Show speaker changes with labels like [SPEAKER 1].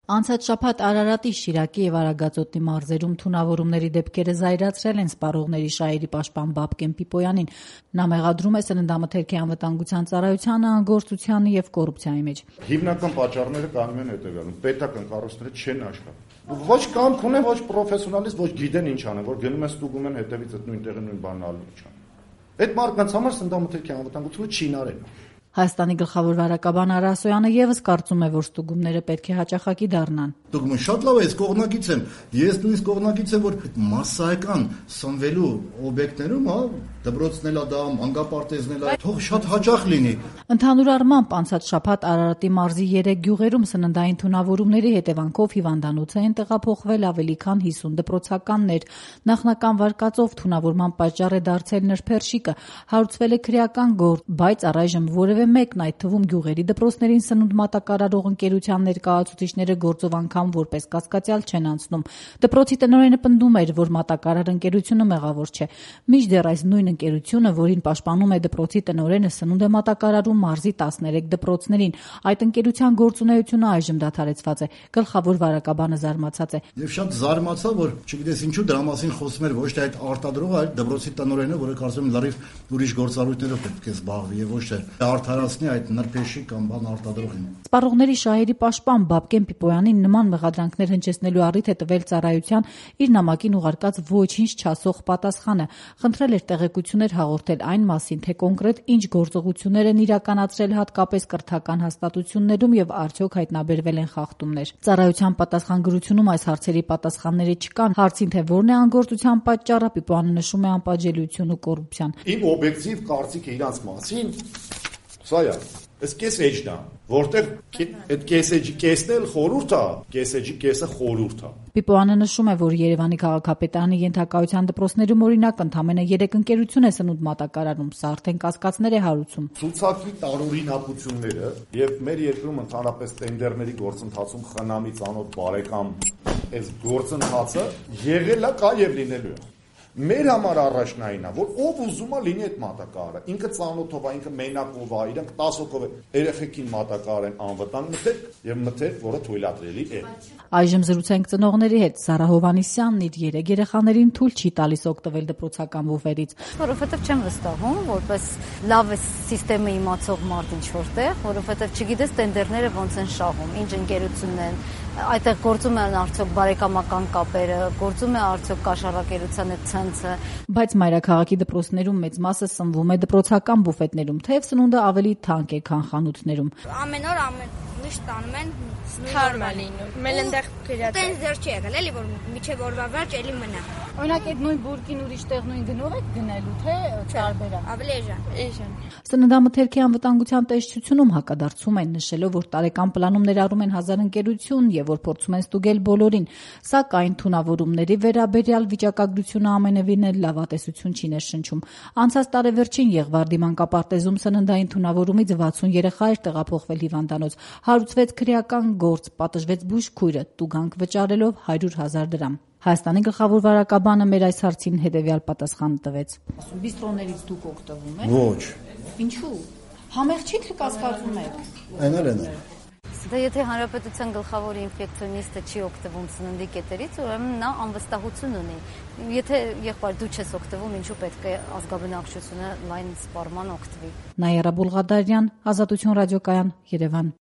[SPEAKER 1] Անցած շաբաթ Արարատի, Շիրակի եւ Արագածոտնի մարզերում թունավորումների դեպքերը զայրացրել են սպառողների շահերի պաշտպան Բաբկեն Պիպոյանին։ Նա մեղադրում է Սննդամթերքի անվտանգության ծառայությանը անգործությանը եւ կոռուպցիայի մեջ։
[SPEAKER 2] Հիմնական պատճառները կանգնում են հետեւյալում. պետական կառույցները չեն աշխատում։ Ոչ կամք ունեն, ոչ պրոֆեսիոնալիստ, ոչ գիտեն ինչ անեն, որ գնում են ստուգում են հետևից այդ նույն տեղը նույն բանն ալու չան։ Այդ մարդկանց համար Սննդամթերքի անվտանգությունը չի նարել։
[SPEAKER 1] Հայաստանի գլխավոր վարակաբան Արա Ասոյանը եւս կարծում է, որ ստուգումները պետք է հաճախակի դառնան։
[SPEAKER 3] Ստուգումը շատ լավ է, ես կողմնակից եմ։ Ես նույնիսկ կողմնակից եմ, որ մասսայական սնվելու օբյեկտներում, դպրոցն դա, մանկապարտեզն էլ, թող շատ հաճախ լինի։
[SPEAKER 1] Ընդհանուր առմամբ անցած շաբաթ Արարատի մարզի 3 գյուղերում սննդային թունավորումների հետևանքով հիվանդանոց են տեղափոխվել ավելի քան 50 դպրոցականներ։ Նախնական վարկածով թունավորման պատճառ է դարձել նրբերշիկը, հարուցվել է քրեական գործ, բայց առայժմ որևէ մեկն, այդ թվում գյուղերի դպրոցներին սնունդ մատակարարող ընկերության ներկայացուցիչները գործով անգամ որպես կասկածյալ չեն անցնում։ Դպրոցի տնօրենը պնդում էր, որ մատակարար ընկերությունը մեղավոր չէ։ Մինչդեռ այս նույն ընկերությունը, որին պաշտպանում է դպրոցի տնօրենը, սնունդ է մատակարարում մարզի 13 դպրոցներին։ Այդ ընկերության գործունեությունը այժմ դադարեցված է։ Գլխավոր վարակաբանը զարմացած է։
[SPEAKER 3] Եվ շատ զարմացա, որ չգիտես ինչու դրա մասին խոսում էր ոչ թե այդ արտադրողը, այլ դպրոցի տնօրենը, որը կարծում եմ լրիվ ուրիշ գործառույթներով պետք է զբաղվի եւ ոչ թե արդարացնի այդ նրբերշիկ կամ բան արտադրողին։
[SPEAKER 1] Սպառողների շահերի պաշտպան Բաբկեն Պիպոյանին նման մեղադրանքներ հնչեցնելու առիթ է տվել ծառայության իր նամակին ուղարկած ոչինչ չասող պատասխանը։ Խնդրել էր տեղեկություններ հաղորդել այն մասին, թե կոնկրետ ինչ գործողություններ են իրականացրել հատկապես կրթական հաստատություններում եւ արդյոք հայտնաբերվել են խախտումներ։ Ծառայության պատասխանագրությունում այս հարցերի պատասխանները չկան։ Հարցին, թե որն է անգործության պատճառը, Պիպոյանը նշում է անպատժելիություն ու կոռուպցիան։
[SPEAKER 2] Իմ օբյեկտիվ կարծիքը իրանց մասին սա է։ Այս կես էջն է, որտեղ այդ կես էջի կեսն էլ խորհուրդ է, կես էջի կեսը խորհուրդ է։
[SPEAKER 1] Պիպոյանը նշում է, որ Երևանի քաղաքապետարանի ենթակայության դպրոցներում օրինակ ընդամենը 3 ընկերություն է սնունդ մատակարարում, սա արդեն կասկածներ է հարուցում։
[SPEAKER 2] Ցուցակի տարօրինակությունները եւ մեր երկրում ընդհանրապես տենդերների գործընթացում խնամի ծանոթ բարեկամ այս գործընթացը եղել է, կա եւ լինելու է։ Մեր համար առաջնայինն է, որ ով ուզում է լինի այդ մատակարարը, ինքը ծանոթով է, ինքը մենակով է, իրանք 10 հոգով երեխեքին մատակարարեն անվտանգ մթերք, որը թույլատրելի է։
[SPEAKER 1] Այժմ զրուցենք ծնողների հետ։ Զարա Հովհաննիսյանն իր 3 երեխաներին թույլ չի տալիս օգտվել դպրոցական բուֆերից։
[SPEAKER 4] Որովհետև չեմ վստահում, որպես լավ է համակարգը իմացող մարդ ինչ որտեղ, որովհետև չգիտես տենդերները ոնց են շահում, ինչ ընկերությունն են, այդտեղ գործում են արդյոք բարեկամական կապերը, գործում է արդյոք կաշառակերության այդ ցանցը։
[SPEAKER 1] Բայց մայրաքաղաքի դպրոցներում մեծ մասը սնվում է դպրոցական բուֆետներում, թեև սնունդը ավելի թանկ է, քան խանութներում։
[SPEAKER 5] Ամեն օր միշտ տանում են
[SPEAKER 6] թարմ է լինում։ Մենք այնտեղ գրած
[SPEAKER 5] տենց դեռ չի եղել, էլի որ միջև օրվա վերջ էլի մնա։
[SPEAKER 1] Օրինակ այդ նույն բուրկին ուրիշ տեղ նույն գնով եք գնելու, թե տարբերակ։
[SPEAKER 5] Ավելի էժան։
[SPEAKER 1] Սննդամթերքի անվտանգության տեսչությունում հակադարձում են, նշելով, որ տարեկան պլանում ներառում են 1000 ընկերություն եւ որ փորձում են ստուգել բոլորին, սակայն թունավորումների վերաբերյալ վիճակագրությունը ամենևին էլ լավատեսություն չի ներշնչում։ Անցած տարեվերջին Եղվարդի մանկապարտեզում սննդային թունավորումից 60 երեխա էր տեղափոխվել հիվանդանոց, հարուցվեց քրեական գործ, պատժվեց բուժքույրը, տուգանք վճարելով 100,000 դրամ։ Հայաստանի գլխավոր վարակաբանը մեր այս հարցին հետևյալ պատասխան տվեց։ Բիստրոներից դուք օգտվում եք։
[SPEAKER 3] Ոչ։
[SPEAKER 1] Ինչու՞։ Համեղ չի թե կասկածում եք։
[SPEAKER 3] Այնալ։
[SPEAKER 4] Դե եթե հանրապետության գլխավոր ինֆեկցիոնիստը չի օգտվում սննդի կետերից, ուրեմն նա անվստահություն ունի։ Եթե եղբայր դու չես օգտվում, ինչու պետք է ազգաբնակչությունը լայն սպառման օգտվի։
[SPEAKER 1] Նայարա Բուլղադարյան, Ազատություն ռադիոկայան, Երևան։